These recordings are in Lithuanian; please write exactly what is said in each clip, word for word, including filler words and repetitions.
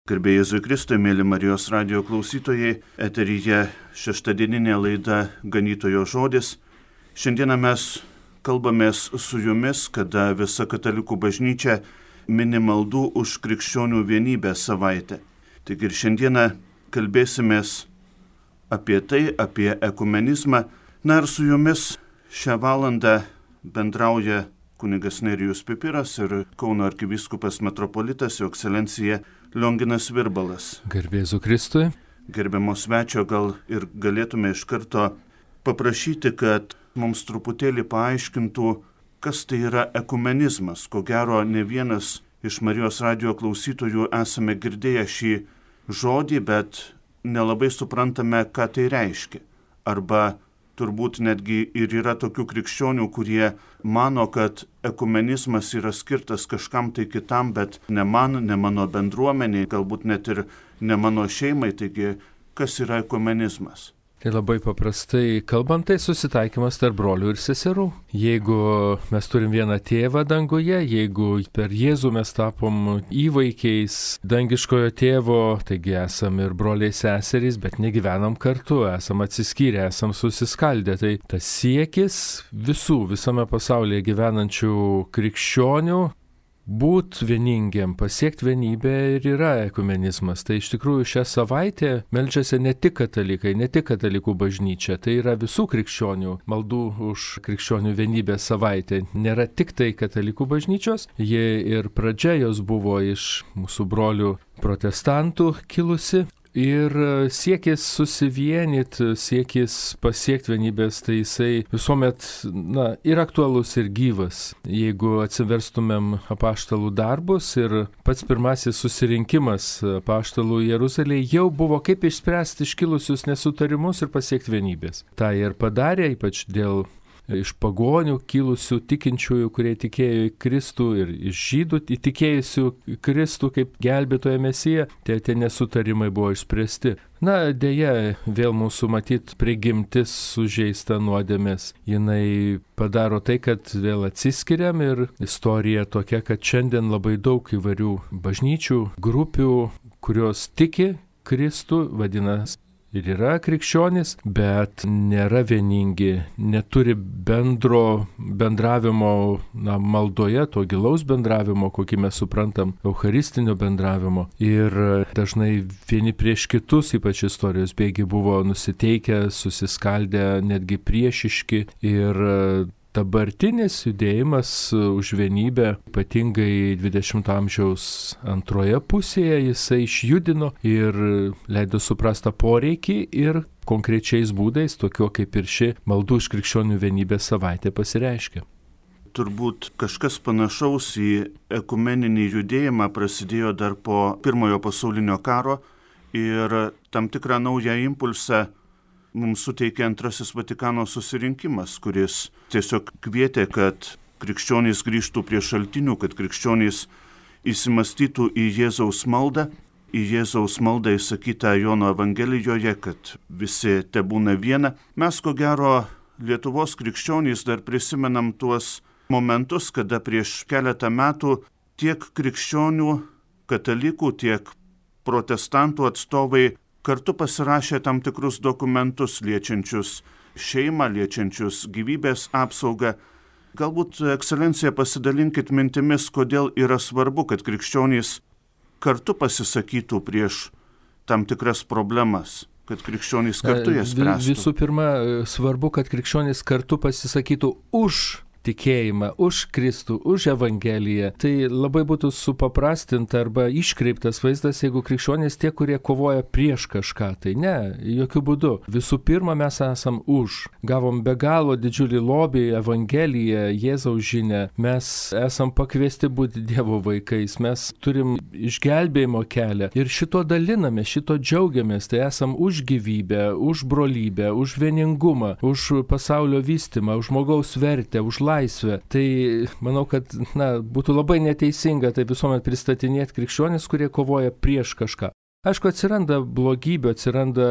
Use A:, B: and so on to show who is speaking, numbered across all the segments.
A: Garbė Jėzui Kristui, mėly Marijos radijo klausytojai, eteryje šeštadieninė laida Ganytojo žodis. Šiandieną mes kalbamės su jumis, kada visa katalikų bažnyčia mini maldų už krikščionių vienybę savaitę. Taigi ir šiandieną kalbėsimės apie tai, apie ekumenizmą. Na ir su jumis šią valandą bendrauja kunigas Nerijus Pipiras ir Kauno arkivyskupas metropolitas Jo ekscelencija Lionginas Virbalas.
B: Garbė Jėzui Kristui.
A: Gerbiamo svečio, gal ir galėtume iš karto paprašyti, kad mums truputėlį paaiškintų, kas tai yra ekumenizmas. Ko gero, ne vienas iš Marijos radijo klausytojų esame girdėję šį žodį, bet nelabai suprantame, ką tai reiškia. Arba turbūt netgi ir yra tokių krikščionių, kurie mano, kad ekumenizmas yra skirtas kažkam tai kitam, bet ne man, ne mano bendruomeniai, galbūt net ir ne mano šeimai. Taigi, kas yra ekumenizmas?
B: Tai labai paprastai kalbant, tai susitaikymas tarp brolių ir seserų. Jeigu mes turim vieną tėvą danguje, jeigu per Jėzų mes tapom įvaikiais dangiškojo tėvo, taigi esam ir broliai seserys, bet negyvenam kartu, esam atsiskyrę, esam susiskaldę. Tai tas siekis visų visame pasaulyje gyvenančių krikščionių būt vieningiam, pasiekti vienybę ir yra ekumenizmas. Tai iš tikrųjų šią savaitę meldžiasi ne tik katalikai, ne tik katalikų bažnyčia, tai yra visų krikščionių maldų už krikščionių vienybę savaitė. Nėra tik tai katalikų bažnyčios, jie ir pradžia jos buvo iš mūsų brolių protestantų kilusi. Ir siekis susivienyti, siekis pasiekti vienybės, tai jisai visuomet na, ir aktualus, ir gyvas. Jeigu atsiverstumėm apaštalų darbus ir pats pirmasis susirinkimas apaštalų Jeruzalėje jau buvo kaip išspręsti iškilusius nesutarimus ir pasiekti vienybės. Ta ir padarė, ypač dėl iš pagonių kilusių tikinčiųjų, kurie tikėjo į Kristų, ir iš žydų įtikėjusių Kristų kaip gelbėtoją Mesiją, tie, tie nesutarimai buvo išspręsti. Na, dėja, vėl mūsų matyt prigimtis sužeista nuodėmės. Jinai padaro tai, kad vėl atsiskiriam ir istorija tokia, kad šiandien labai daug įvairių bažnyčių, grupių, kurios tiki Kristų, vadinasi, ir yra krikščionys, bet nėra vieningi, neturi bendro bendravimo na, maldoje, to gilaus bendravimo, kokį mes suprantam, eucharistinio bendravimo. Ir dažnai vieni prieš kitus, ypač istorijos bėgiai, buvo nusiteikę, susiskaldę, netgi priešiški. Ir dabartinis judėjimas už vienybę, ypatingai dvidešimto amžiaus antroje pusėje, jisai išjudino ir leido suprastą poreikį ir konkrečiais būdais, tokio kaip ir ši maldų už krikščionių vienybę savaitė pasireiškia.
A: Turbūt kažkas panašaus į ekumeninį judėjimą prasidėjo dar po Pirmojo pasaulinio karo ir tam tikrą naują impulsą mums suteikė Antrasis Vatikano susirinkimas, kuris tiesiog kvietė, kad krikščionys grįžtų prie šaltinių, kad krikščionys įsimastytų į Jėzaus maldą, į Jėzaus maldą įsakytą Jono Evangelijoje, kad visi tebūna viena. Mes, ko gero, Lietuvos krikščionys dar prisimenam tuos momentus, kada prieš keletą metų tiek krikščionių, katalikų, tiek protestantų atstovai kartu pasirašė tam tikrus dokumentus liečiančius šeimą, liečiančius gyvybės apsaugą. Galbūt, ekscelencija, pasidalinkit mintimis, kodėl yra svarbu, kad krikščionys kartu pasisakytų prieš tam tikras problemas, kad krikščionys kartu jas spręstų.
B: Visų pirma, svarbu, kad krikščionys kartu pasisakytų už tikėjimą, už Kristų, už Evangeliją. Tai labai būtų supaprastinta arba iškreiptas vaizdas, jeigu krikščionys tie, kurie kovoja prieš kažką. Tai ne, jokių būdų. Visų pirma, mes esam už. Gavom be galo didžiulį lobį, Evangeliją, Jėzaus žinią. Mes esam pakviesti būti Dievo vaikais. Mes turim išgelbėjimo kelią. Ir šito daliname, šito džiaugiamės. Tai esam už gyvybę, už brolybę, už vieningumą, už pasaulio vystymą, už žmogaus vertę, už laisvę. Tai manau, kad na, būtų labai neteisinga tai visuomet pristatinėti krikščionis, kurie kovoja prieš kažką. Aišku, atsiranda blogybė, atsiranda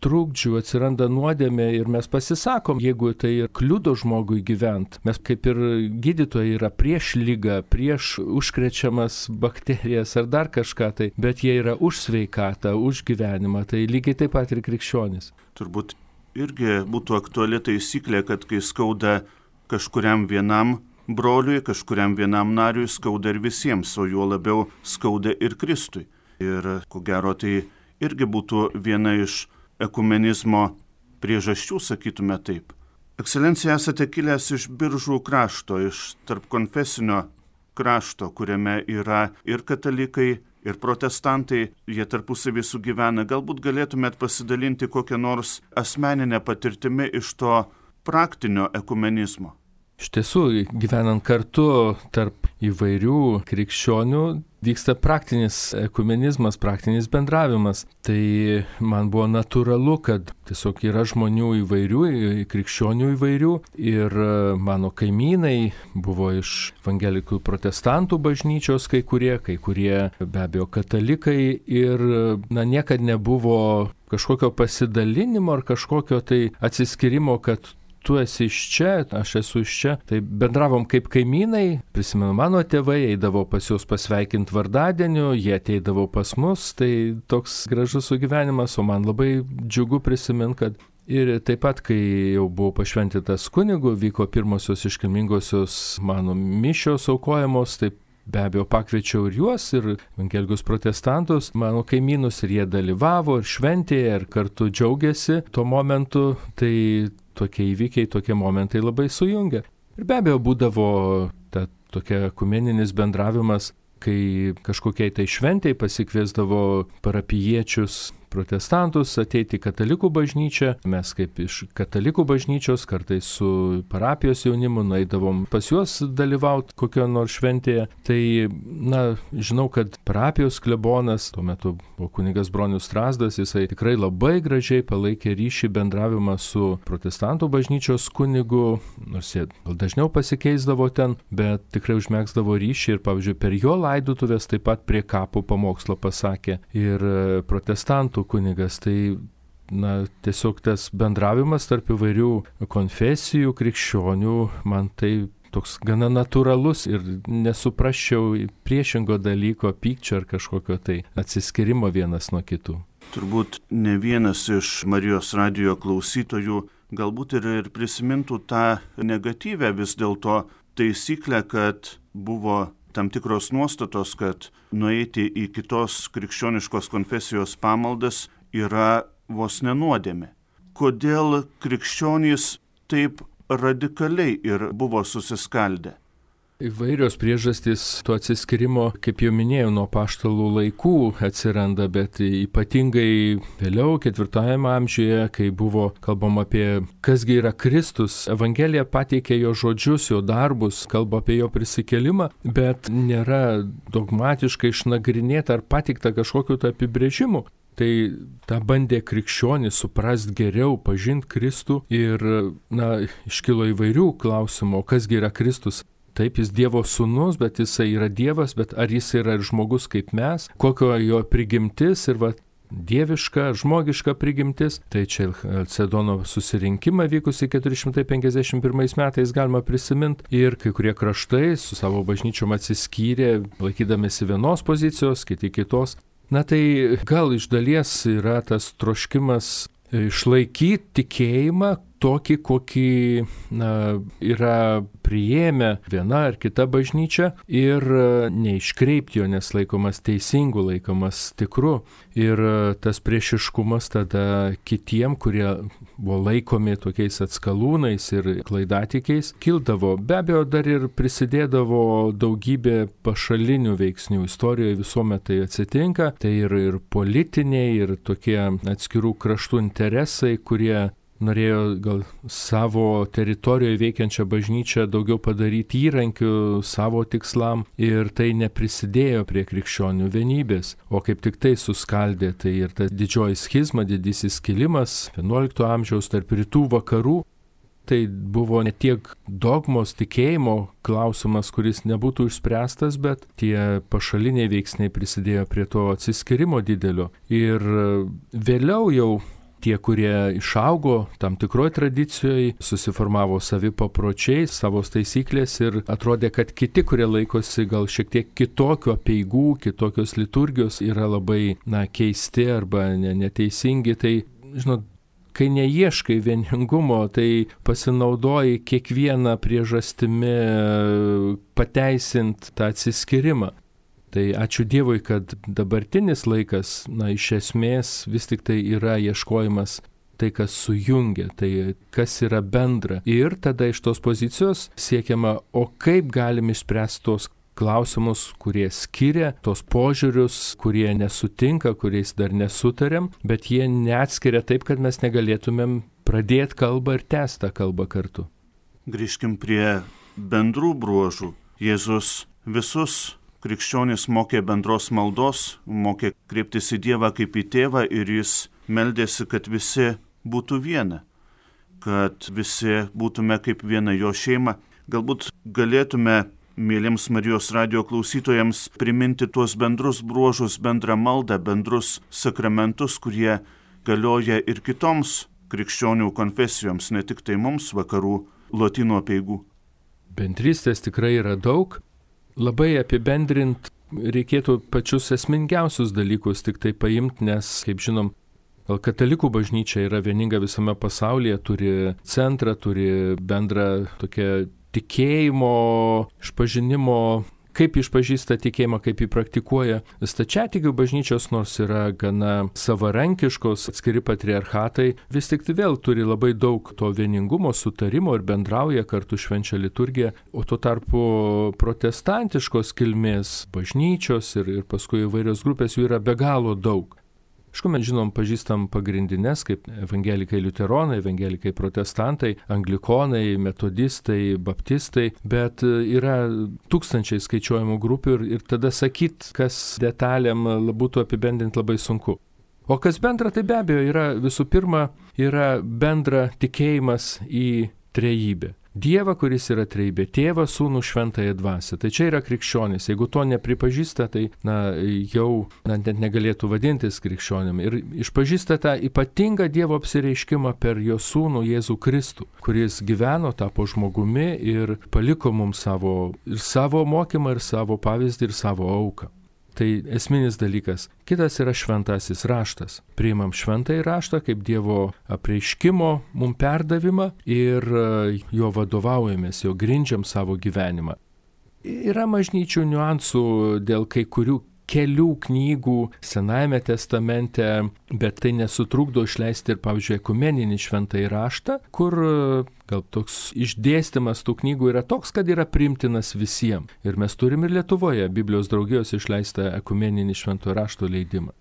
B: trūkdžių, atsiranda nuodėmė ir mes pasisakom, jeigu tai kliudo žmogui gyventi. Mes kaip ir gydytojai yra prieš ligą, prieš užkrečiamas bakterijas ar dar kažką tai, bet jie yra už sveikatą, už gyvenimą, tai lygiai taip pat ir krikščionys.
A: Turbūt irgi būtų aktuali taisyklė, kad kai skauda kažkuriam vienam broliui, kažkuriam vienam nariui, skauda ir visiems, o juo labiau skauda ir Kristui. Ir ko gero tai irgi būtų viena iš ekumenizmo priežasčių, sakytume taip. Ekscelencija, esate kilęs iš Biržų krašto, iš tarpkonfesinio krašto, kuriame yra ir katalikai, ir protestantai, jie tarpusavį sugyvena. Galbūt galėtumėt pasidalinti kokią nors asmeninę patirtimį iš to praktinio ekumenizmo.
B: Iš tiesų, gyvenant kartu tarp įvairių krikščionių, vyksta praktinis ekumenizmas, praktinis bendravimas. Tai man buvo natūralu, kad tiesiog yra žmonių įvairių, krikščionių įvairių ir mano kaimynai buvo iš evangelikų protestantų bažnyčios kai kurie, kai kurie be abejo katalikai ir na, niekad nebuvo kažkokio pasidalinimo ar kažkokio tai atsiskirimo, kad tu esi iš čia, aš esu iš čia. Tai bendravom kaip kaimynai, prisimenu, mano tėvai eidavo pas juos pasveikinti vardadieniu, jie ateidavo pas mus, tai toks gražus sugyvenimas, o man labai džiugu prisiminti, kad ir taip pat, kai jau buvau pašventytas kunigu, vyko pirmosios iškilmingosios mano mišios aukojamos, taip be abejo pakviečiau ir juos, ir evangelikus protestantus, mano kaimynus, ir jie dalyvavo ir šventėje, ir kartu džiaugiasi tuo momentu, tai tokie įvykiai, tokie momentai labai sujungia. Ir be abejo būdavo ta tokia ekumeninis bendravimas, kai kažkokiai tai šventei pasikviesdavo parapijiečius protestantus ateiti į katalikų bažnyčią. Mes kaip iš katalikų bažnyčios kartais su parapijos jaunimu nueidavom pas juos dalyvauti kokio nors šventėje. Tai, na, žinau, kad parapijos klebonas, tuo metu buvo kunigas Bronius Strazdas, jisai tikrai labai gražiai palaikė ryšį bendravimą su protestantų bažnyčios kunigu, nors jie gal dažniau pasikeisdavo ten, bet tikrai užmegzdavo ryšį ir, pavyzdžiui, per jo laidotuvės taip pat prie kapų pamokslo pasakė ir protestantų kunigas. Tai, na, tiesiog tas bendravimas tarp įvairių konfesijų, krikščionių, man tai toks gana natūralus ir nesuprasčiau priešingo dalyko, pykčio ar kažkokio tai atsiskirimo vienas nuo kitų.
A: Turbūt ne vienas iš Marijos radijo klausytojų galbūt ir, ir prisimintų tą negatyvę vis dėlto taisyklę, kad buvo tam tikros nuostatos, kad nueiti į kitos krikščioniškos konfesijos pamaldas yra vos nenuodėmė. Kodėl krikščionys taip radikaliai ir buvo susiskaldę?
B: Įvairios priežastys to atsiskirimo, kaip jau minėjau, nuo apaštalų laikų atsiranda, bet ypatingai vėliau, ketvirtajame amžiuje, kai buvo kalbama apie kasgi yra Kristus, Evangelija pateikė jo žodžius, jo darbus, kalba apie jo prisikėlimą, bet nėra dogmatiškai išnagrinėta ar pateikta kažkokiu tai apibrėžimu. Tai tą bandė krikščionys suprasti geriau, pažinti Kristų ir, na, iškilo įvairių klausimų, kasgi yra Kristus. Taip, jis Dievo sūnus, bet jisai yra Dievas, bet ar jis yra ir žmogus kaip mes, kokio jo prigimtis ir va, dieviška, žmogiška prigimtis. Tai čia Chalcedono susirinkimą vykusį keturi šimtai penkiasdešimt pirmais metais galima prisiminti ir kai kurie kraštai su savo bažnyčiom atsiskyrė, laikydamėsi vienos pozicijos, kiti kitos. Na tai gal iš dalies yra tas troškimas išlaikyti tikėjimą tokį, kokį, na, yra priėmę viena ar kita bažnyčia ir neiškreipti jo, nes laikomas teisingu, laikomas tikru. Ir tas priešiškumas tada kitiem, kurie buvo laikomi tokiais atskalūnais ir klaidatikiais, kildavo. Be abejo, dar ir prisidėdavo daugybė pašalinių veiksnių. Istorijoje visuomet tai atsitinka. Tai ir, ir politiniai, ir tokie atskirų kraštų interesai, kurie norėjo gal savo teritorijoje veikiančią bažnyčią daugiau padaryti įrankių savo tikslam ir tai neprisidėjo prie krikščionių vienybės, o kaip tik tai suskaldė. Tai ir ta didžioji schizma, didysis skilimas vienuolikto amžiaus tarp rytų vakarų. Tai buvo ne tiek dogmos tikėjimo klausimas, kuris nebūtų išspręstas, bet tie pašaliniai veiksniai prisidėjo prie to atsiskyrimo didelio. Ir vėliau jau tie, kurie išaugo tam tikroj tradicijoje, susiformavo savi papročiai, savo taisyklės ir atrodė, kad kiti, kurie laikosi gal šiek tiek kitokių apeigų, kitokios liturgijos, yra labai na, keisti arba neteisingi. Tai, žinot, kai neieškai vieningumo, tai pasinaudoji kiekvieną priežastimi pateisint tą atsiskyrimą. Tai ačiū Dievui, kad dabartinis laikas, na, iš esmės vis tik tai yra ieškojimas tai, kas sujungia, tai kas yra bendra. Ir tada iš tos pozicijos siekiama, o kaip galim išspręsti tos klausimus, kurie skiria, tos požiūrius, kurie nesutinka, kuriais dar nesutariam, bet jie neatskiria taip, kad mes negalėtumėm pradėti kalbą ir tęsti tą kalbą kartu.
A: Grįžkim prie bendrų bruožų. Jėzus visus krikščionys mokė bendros maldos, mokė kreiptis į Dievą kaip į tėvą ir jis meldėsi, kad visi būtų viena, kad visi būtume kaip viena jo šeima. Galbūt galėtume mėlyms Marijos radijo klausytojams priminti tuos bendrus bruožus, bendrą maldą, bendrus sakramentus, kurie galioja ir kitoms krikščionių konfesijoms, ne tik tai mums vakarų lotynų apeigų.
B: Bendrystės tikrai yra daug. Labai apibendrint reikėtų pačius esmingiausius dalykus tik tai paimti, nes, kaip žinom, gal katalikų bažnyčia yra vieninga visame pasaulyje, turi centrą, turi bendrą tokią tikėjimo, išpažinimo, kaip išpažįsta tikėjimą, kaip jį praktikuoja. Stačiatikių bažnyčios, nors yra gana savarankiškos, atskiri patriarchatai, vis tik tai vėl turi labai daug to vieningumo, sutarimo ir bendrauja kartu švenčia liturgiją, o tuo tarpu protestantiškos kilmės bažnyčios ir, ir paskui įvairios grupės jų yra be galo daug. Aišku, mes žinom, pažįstam pagrindinės kaip evangelikai liuteronai, evangelikai protestantai, anglikonai, metodistai, baptistai, bet yra tūkstančiai skaičiuojamų grupių ir, ir tada sakyt, kas detalėm būtų apibendrinti labai sunku. O kas bendra, tai be abejo yra visų pirma, yra bendra tikėjimas į trejybę. Dievą, kuris yra trejybė, tėvą, sūnų, šventąją dvasią. Tai čia yra krikščionis. Jeigu to nepripažįsta, tai na, jau na, net negalėtų vadintis krikščionim. Ir išpažįsta tą ypatingą Dievo apsireiškimą per jo sūnų Jėzų Kristų, kuris gyveno, tapo žmogumi ir paliko mums savo, ir savo mokymą, ir savo pavyzdį, ir savo auką. Tai esminis dalykas. Kitas yra šventasis raštas. Priimam šventąjį raštą kaip Dievo apreiškimo mum perdavimą ir jo vadovaujamės, jo grindžiam savo gyvenimą. Yra bažnyčių niuansų dėl kai kurių kelių knygų Senajame testamente, bet tai nesutrukdo išleisti ir, pavyzdžiui, ekumeninį šventąjį raštą, kur gal toks išdėstymas tų knygų yra toks, kad yra priimtinas visiems. Ir mes turim ir Lietuvoje Biblijos draugijos išleistą ekumeninį šventojo rašto leidimą.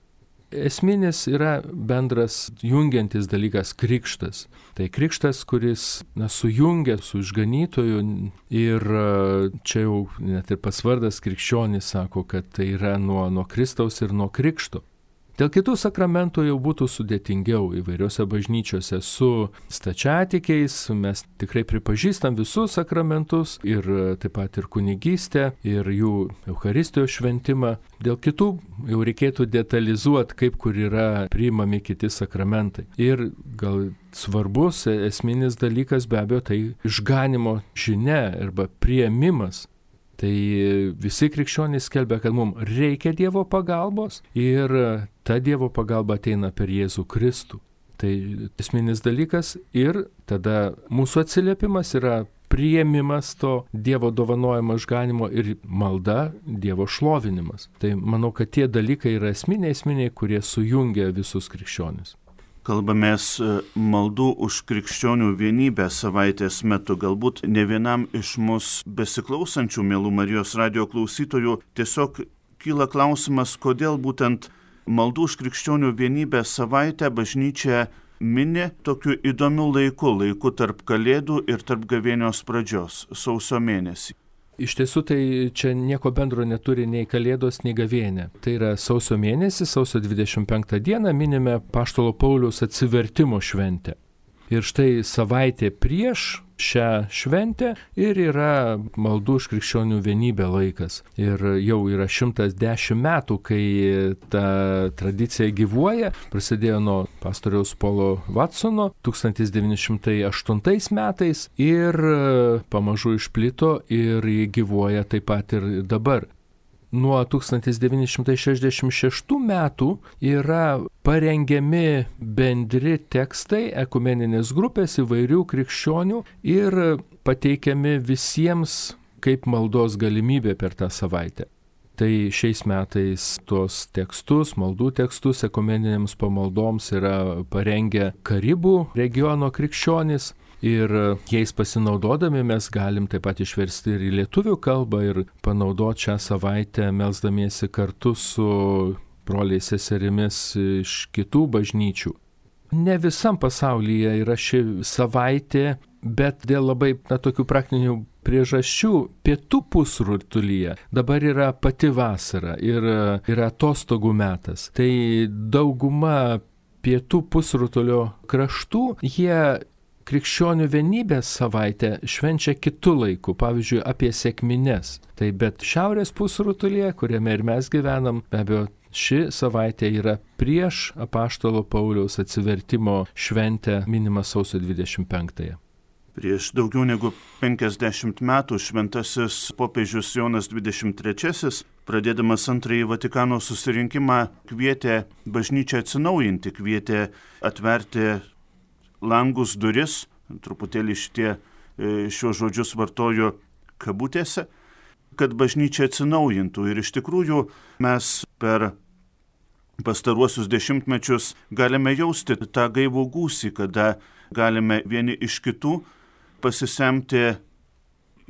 B: Esminis yra bendras jungiantis dalykas krikštas. Tai krikštas, kuris na, sujungia su išganytoju ir čia jau net ir pats vardas krikščionis sako, kad tai yra nuo, nuo Kristaus ir nuo krikšto. Dėl kitų sakramentų jau būtų sudėtingiau įvairiose bažnyčiose su stačiatikiais, mes tikrai pripažįstam visus sakramentus ir taip pat ir kunigystę, ir jų Eucharistijos šventimą. Dėl kitų jau reikėtų detalizuoti, kaip kur yra priimami kiti sakramentai. Ir gal svarbus esminis dalykas be abejo tai išganimo žinia arba priėmimas. Tai visi krikščionys skelbia, kad mums reikia Dievo pagalbos ir ta Dievo pagalba ateina per Jėzų Kristų. Tai esminis dalykas ir tada mūsų atsiliepimas yra priėmimas to Dievo dovanojimo išganimo ir malda, Dievo šlovinimas. Tai manau, kad tie dalykai yra esminiai, esminiai, kurie sujungia visus krikščionis.
A: Kalbamės maldų už krikščionių vienybę savaitės metu. Galbūt ne vienam iš mus besiklausančių mielų Marijos radijo klausytojų tiesiog kyla klausimas, kodėl būtent maldų už krikščionių vienybę savaitę bažnyčia mini tokiu įdomiu laiku, laiku tarp Kalėdų ir tarp gavėnios pradžios, sausio mėnesį.
B: Iš tiesų tai čia nieko bendro neturi nei Kalėdos, nei gavėnė. Tai yra sausio mėnesį, sausio dvidešimt penktą dieną minime Apaštalo Pauliaus atsivertimo šventę. Ir štai savaitė prieš šią šventę ir yra maldų už krikščionių vienybę laikas. Ir jau yra šimtas dešimt metų, kai ta tradicija gyvuoja. Prasidėjo nuo pastoriaus Paulo Watsono tūkstantis devyni šimtai aštuntais metais ir pamažu išplito ir gyvuoja taip pat ir dabar. Nuo tūkstantis devyni šimtai šešiasdešimt šeštų metų yra parengiami bendri tekstai ekumeninės grupės įvairių krikščionių ir pateikiami visiems kaip maldos galimybė per tą savaitę. Tai šiais metais tuos tekstus, maldų tekstus ekumeninėms pamaldoms yra parengę Karibų regiono krikščionys. Ir jais pasinaudodami mes galim taip pat išversti ir į lietuvių kalbą ir panaudoti šią savaitę melsdamiesi kartu su broliais seserimis iš kitų bažnyčių. Ne visam pasaulyje yra ši savaitė, bet dėl labai na, tokių praktinių priežasčių pietų pusrutulyje dabar yra pati vasara ir yra atostogų metas. Tai dauguma pietų pusrutulio kraštų jie krikščionių vienybės savaitę švenčia kitų laikų, pavyzdžiui, apie sekmines. Tai bet šiaurės pusrutulyje, kuriame ir mes gyvenam, be abejo, ši savaitė yra prieš apaštalo Pauliaus atsivertimo šventę minimą sausio dvidešimt penktąją.
A: Prieš daugiau negu penkiasdešimt metų šventasis popiežius Jonas dvidešimt trečiasis, pradėdamas antrąjį Vatikano susirinkimą, kvietė bažnyčią atsinaujinti, kvietė atverti langus, duris, truputėlį šitie šios žodžius vartoju kabutėse, kad bažnyčia atsinaujintų. Ir iš tikrųjų mes per pastaruosius dešimtmečius galime jausti tą gaivų gūsį, kada galime vieni iš kitų pasisemti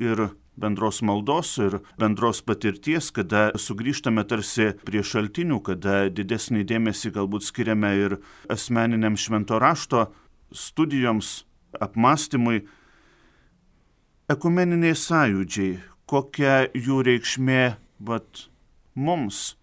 A: ir bendros maldos, ir bendros patirties, kada sugrįžtame tarsi prie šaltinių, kada didesnį dėmesį galbūt skiriame ir asmeniniam švento rašto studijoms, apmąstymui. Ekumeniniai sąjūdžiai, kokia jų reikšmė vat, mums.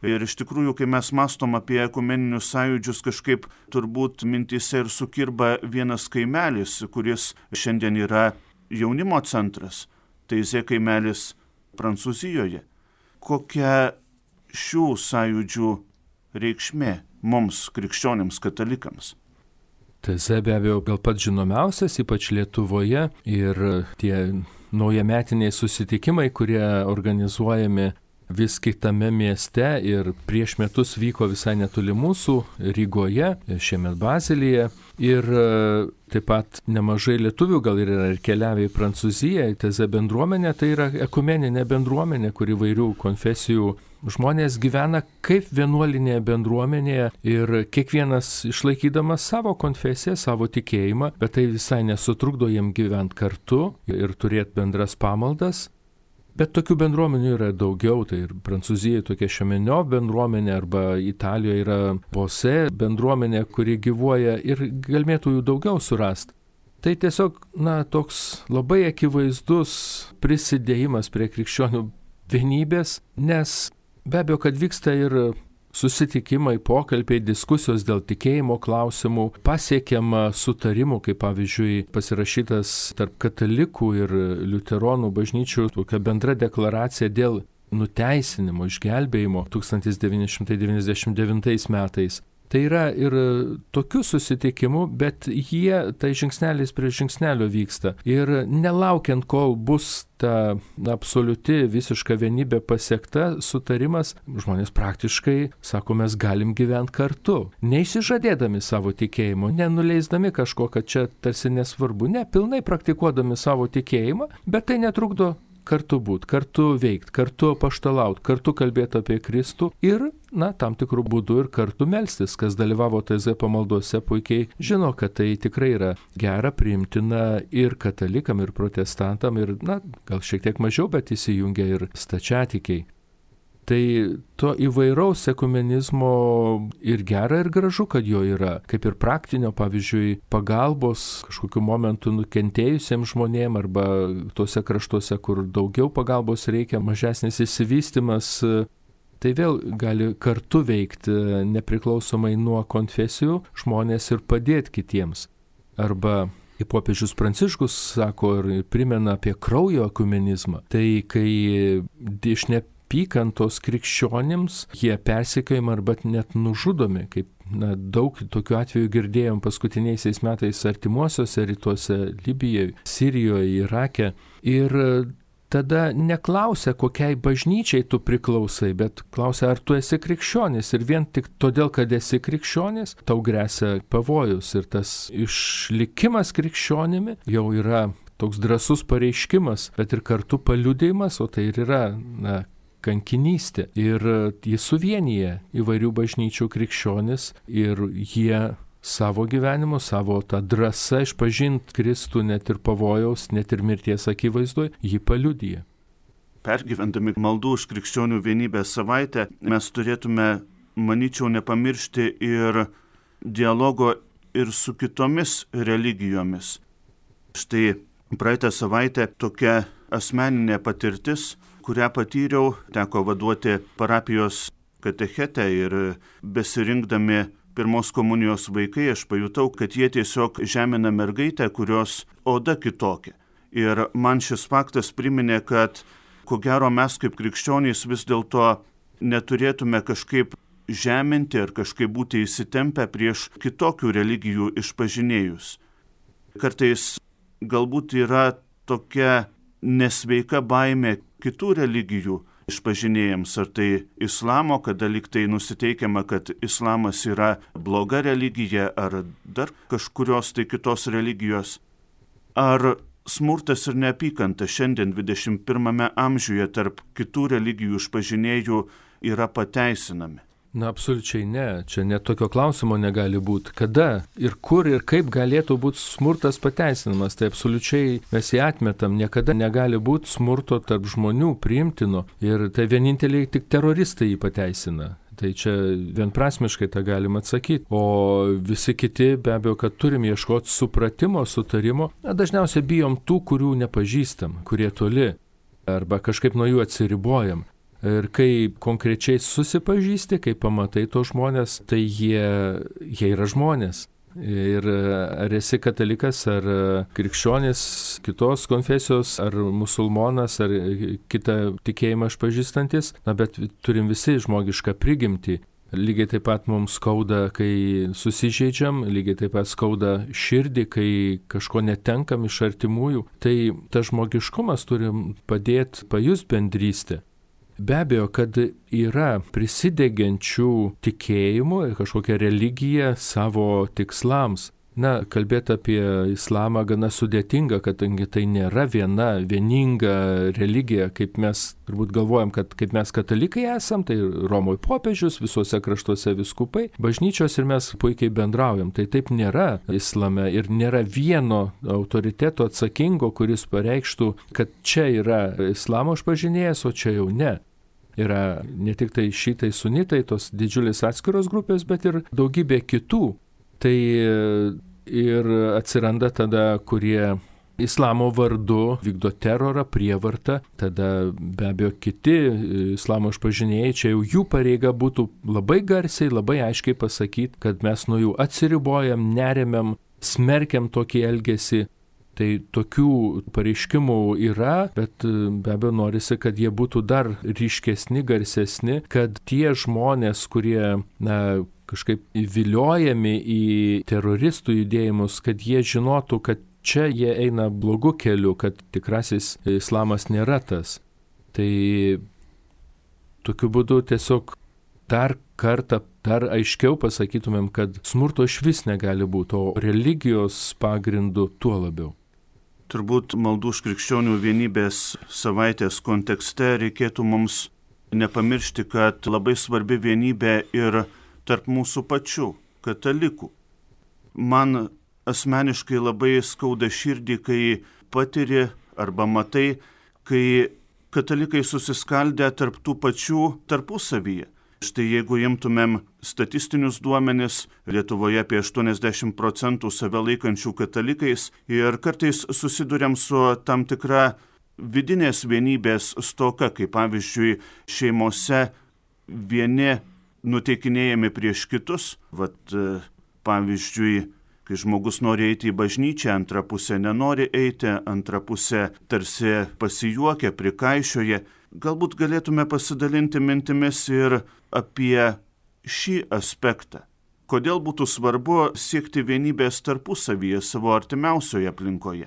A: Ir iš tikrųjų, kai mes mąstom apie ekumeninius sąjūdžius, kažkaip turbūt mintyse ir sukirba vienas kaimelis, kuris šiandien yra jaunimo centras, Taizė kaimelis Prancūzijoje. Kokia šių sąjūdžių reikšmė mums, krikščionims, katalikams?
B: Taizė be abejo gal pats žinomiausias, ypač Lietuvoje, ir tie naujametiniai susitikimai, kurie organizuojami vis kitame mieste ir prieš metus vyko visai netoli mūsų Rygoje, šiemet Bazelyje. Ir taip pat nemažai lietuvių gal ir yra ir keliavę į Prancūziją, Taizė bendruomenė, tai yra ekumeninė bendruomenė, kur įvairių konfesijų žmonės gyvena kaip vienuolinėje bendruomenėje ir kiekvienas išlaikydamas savo konfesiją, savo tikėjimą, bet tai visai nesutrukdo jiem gyventi kartu ir turėti bendras pamaldas. Bet tokių bendruomenių yra daugiau, tai ir Prancūzijoje tokia Šemenio bendruomenė arba Italijoje yra Bose bendruomenė, kuri gyvuoja ir galėtų jų daugiau surasti. Tai tiesiog, na, toks labai akivaizdus prisidėjimas prie krikščionių vienybės, nes be abejo, kad vyksta ir susitikimai, pokalbiai, diskusijos dėl tikėjimo klausimų, pasiekiama sutarimų, kaip pavyzdžiui pasirašytas tarp katalikų ir liuteronų bažnyčių tokia bendra deklaracija dėl nuteisinimo, išgelbėjimo tūkstantis devyni šimtai devyniasdešimt devintais metais. Tai yra ir tokių susitikimų, bet jie tai žingsnelis prie žingsnelio vyksta. Ir nelaukiant, kol bus ta absoliuti visiška vienybė pasiekta, sutarimas, žmonės praktiškai, sako, mes galim gyventi kartu. Neišsižadėdami savo tikėjimo, nenuleisdami kažko, kad čia tarsi nesvarbu, ne, pilnai praktikuodami savo tikėjimą, bet tai netrukdo kartu būti, kartu veikti, kartu apaštalauti, kartu kalbėti apie Kristų ir, na, tam tikrų būdų ir kartu melstis. Kas dalyvavo Taizė pamaldose, puikiai žino, kad tai tikrai yra gera, priimtina ir katalikam, ir protestantam, ir, na, gal šiek tiek mažiau, bet įsijungia ir stačiatikiai. Tai to įvairaus ekumenizmo ir gera, ir gražu, kad jo yra, kaip ir praktinio, pavyzdžiui, pagalbos kažkokiu momentu nukentėjusiems žmonėms arba tose kraštuose, kur daugiau pagalbos reikia, mažesnis išsivystymas, tai vėl gali kartu veikti nepriklausomai nuo konfesijų žmonės ir padėti kitiems. Arba, kaip popiežius Pranciškus sako ir primena apie kraujo ekumenizmą, tai kai iš neapykantos krikščionims jie persekiojami arba net nužudomi, kaip na, daug tokių atvejų girdėjom paskutiniaisiais metais artimuosiuose rytuose, Libijoje, Sirijoje, Irake. Ir tada neklausia, kokiai bažnyčiai tu priklausai, bet klausia, ar tu esi krikščionis. Ir vien tik todėl, kad esi krikščionis, tau gresia pavojus. Ir tas išlikimas krikščionimi jau yra toks drąsus pareiškimas, bet ir kartu paliudijimas, o tai ir yra, na, kankinystė. Ir jis suvienyje įvairių bažnyčių krikščionis ir jie savo gyvenimu, savo tą drąsą išpažinti Kristų net ir pavojaus, net ir mirties akivaizdoje, jį paliudyja.
A: Pergyvendami maldų už krikščionių vienybę savaitę, mes turėtume, manyčiau, nepamiršti ir dialogo ir su kitomis religijomis. Štai praeitą savaitę tokia asmeninė patirtis, kurią patyriau, teko vaduoti parapijos katechetę ir besirinkdami pirmos komunijos vaikai, aš pajutau, kad jie tiesiog žemina mergaitę, kurios oda kitokia. Ir man šis faktas priminė, kad ko gero mes kaip krikščionys vis dėlto neturėtume kažkaip žeminti ar kažkaip būti įsitempę prieš kitokių religijų išpažinėjus. Kartais galbūt yra tokia nesveika baimė kitų religijų išpažinėjams, ar tai islamo, kada lyg tai nusiteikiama, kad islamas yra bloga religija, ar dar kažkurios tai kitos religijos. Ar smurtas ir neapykanta šiandien dvidešimt pirmame amžiuje tarp kitų religijų išpažinėjų yra pateisinami?
B: Na, absoliučiai ne. Čia net tokio klausimo negali būti. Kada ir kur ir kaip galėtų būti smurtas pateisinamas, tai absoliučiai mes jį atmetam. Niekada negali būti smurto tarp žmonių priimtino ir tai vieninteliai tik teroristai jį pateisina. Tai čia vienprasmiškai tą galima atsakyti. O visi kiti be abejo, kad turim ieškoti supratimo, sutarimo. Na, dažniausiai bijom tų, kurių nepažįstam, kurie toli arba kažkaip nuo jų atsiribojam. Ir kai konkrečiai susipažįsti, kai pamatai to žmonės, tai jie, jie yra žmonės. Ir ar esi katalikas, ar krikščionis, kitos konfesijos, ar musulmonas, ar kitą tikėjimą išpažįstantis, na bet turim visi žmogišką prigimtį. Lygiai taip pat mums skauda, kai susižeidžiam, lygiai taip pat skauda širdį, kai kažko netenkam iš artimųjų. Tai tas žmogiškumas turim padėti pajust bendrystę. Be abejo, kad yra prisidegiančių tikėjimų ir kažkokią religiją savo tikslams. Na, kalbėti apie islamą gana sudėtinga, kadangi tai nėra viena vieninga religija, kaip mes turbūt galvojam, kad kaip mes katalikai esam, tai Romoje popiežius, visuose kraštuose viskupai, bažnyčios ir mes puikiai bendraujam. Tai taip nėra islame ir nėra vieno autoriteto atsakingo, kuris pareikštų, kad čia yra islamo išpažinėjas, o čia jau ne. Yra ne tik tai šitai sunitai, tos didžiulės atskiros grupės, bet ir daugybė kitų. Tai ir atsiranda tada, kurie islamo vardu vykdo terorą, prievartą, tada be abejo kiti islamo išpažinėjai, čia jau jų pareiga būtų labai garsiai, labai aiškiai pasakyti, kad mes nuo jų atsiribojam, neremiam, smerkiam tokį elgesį. Tai tokių pareiškimų yra, bet be abejo norisi, kad jie būtų dar ryškesni, garsesni, kad tie žmonės, kurie na, kažkaip įviliojami į teroristų judėjimus, kad jie žinotų, kad čia jie eina blogu keliu, kad tikrasis islamas nėra tas. Tai tokiu būdu tiesiog dar kartą, dar aiškiau pasakytumėm, kad smurto išvis negali būti, o religijos pagrindu tuo labiau.
A: Turbūt maldų už krikščionių vienybės savaitės kontekste reikėtų mums nepamiršti, kad labai svarbi vienybė ir tarp mūsų pačių, katalikų. Man asmeniškai labai skauda širdį, kai patiri arba matai, kai katalikai susiskaldę tarp tų pačių tarpusavyje. Štai jeigu imtumėm statistinius duomenis, Lietuvoje apie aštuoniasdešimt procentų save laikančių katalikais ir kartais susiduriam su tam tikra vidinės vienybės stoka, kaip pavyzdžiui šeimose vieni nuteikinėjami prieš kitus, vat, pavyzdžiui kai žmogus nori eiti į bažnyčią, antra pusė nenori eiti, antra pusė tarsi pasijuokia, prikaišioja. Galbūt galėtume pasidalinti mintimis ir apie šį aspektą. Kodėl būtų svarbu siekti vienybės tarpusavyje savo artimiausioje aplinkoje?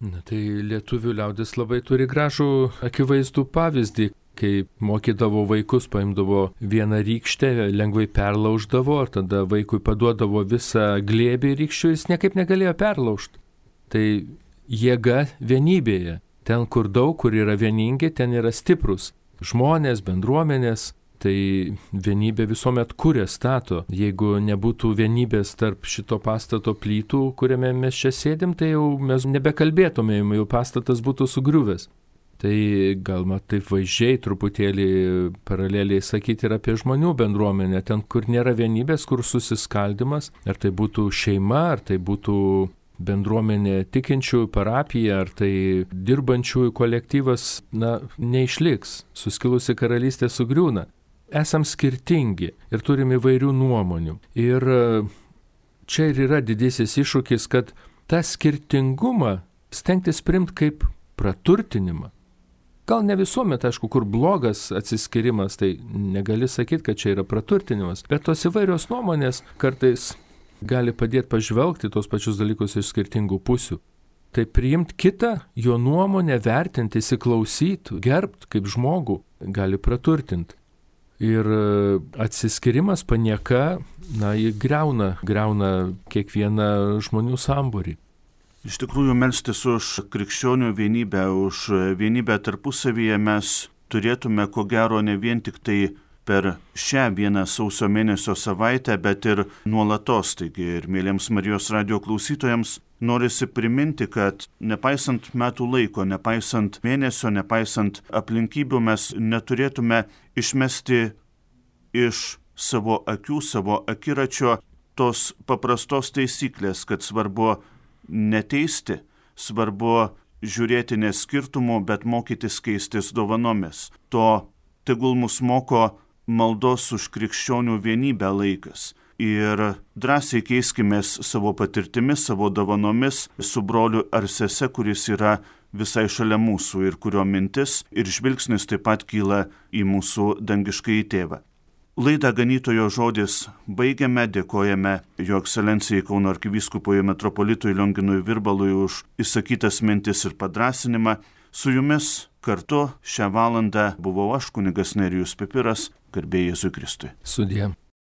B: Na tai lietuvių liaudis labai turi gražų akivaizdų pavyzdį, kai mokydavo vaikus, paimdavo vieną rykštę, lengvai perlauždavo, ar tada vaikui paduodavo visą glėbį rykščių, jis niekaip negalėjo perlaužti. Tai jėga vienybėje. Ten, kur daug, kur yra vieningi, ten yra stiprus žmonės, bendruomenės. Tai vienybė visuomet kuria, stato. Jeigu nebūtų vienybės tarp šito pastato plytų, kuriame mes čia sėdim, tai jau mes nebekalbėtumėm, jau pastatas būtų sugriuvęs. Tai galima taip vaizdžiai truputėlį paraleliai sakyti ir apie žmonių bendruomenę. Ten, kur nėra vienybės, kur susiskaldimas, ar tai būtų šeima, ar tai būtų bendruomenė tikinčiųjų, parapija, ar tai dirbančiųjų kolektyvas, na, neišliks. Suskilusi karalystė sugriūna. Esam skirtingi ir turim įvairių nuomonių. Ir čia ir yra didysis iššūkis, kad tą skirtingumą stengtis priimti kaip praturtinimą. Gal ne visuomet, aišku, kur blogas atsiskirimas, tai negali sakyti, kad čia yra praturtinimas, bet tos įvairios nuomonės kartais gali padėti pažvelgti tos pačius dalykus iš skirtingų pusių. Tai priimti kitą, jo nuomonę, vertinti, įsiklausyti, gerbti kaip žmogų, gali praturtinti. Ir atsiskirimas, panieka, na, jį greuna, greuna kiekvieną žmonių sambūrį.
A: Iš tikrųjų, melstis už krikščionių vienybę, už vienybę tarpusavyje mes turėtume, ko gero, ne vien tik tai per šią vieną sausio mėnesio savaitę, bet ir nuolatos. Taigi ir mėlyms Marijos radijo klausytojams norisi priminti, kad nepaisant metų laiko, nepaisant mėnesio, nepaisant aplinkybių, mes neturėtume išmesti iš savo akių, savo akiračio tos paprastos taisyklės, kad svarbu neteisti, svarbu žiūrėti ne skirtumų, bet mokytis keistis dovanomis. To tegul mus moko maldos už krikščionių vienybę laikas. Ir drąsiai keiskimės savo patirtimis, savo dovanomis su broliu ar sese, kuris yra visai šalia mūsų ir kurio mintis ir žvilgsnis taip pat kyla į mūsų dangiškąjį tėvą. Laidą Ganytojo žodis baigiame, dėkojame Jo Ekscelencijai Kauno arkivyskupui metropolitui Lionginui Virbalui už išsakytas mintis ir padrąsinimą. Su jumis kartu šią valandą buvau aš, kunigas Nerijus Pipiras, garbė Jėzui Kristui.
B: Sudie.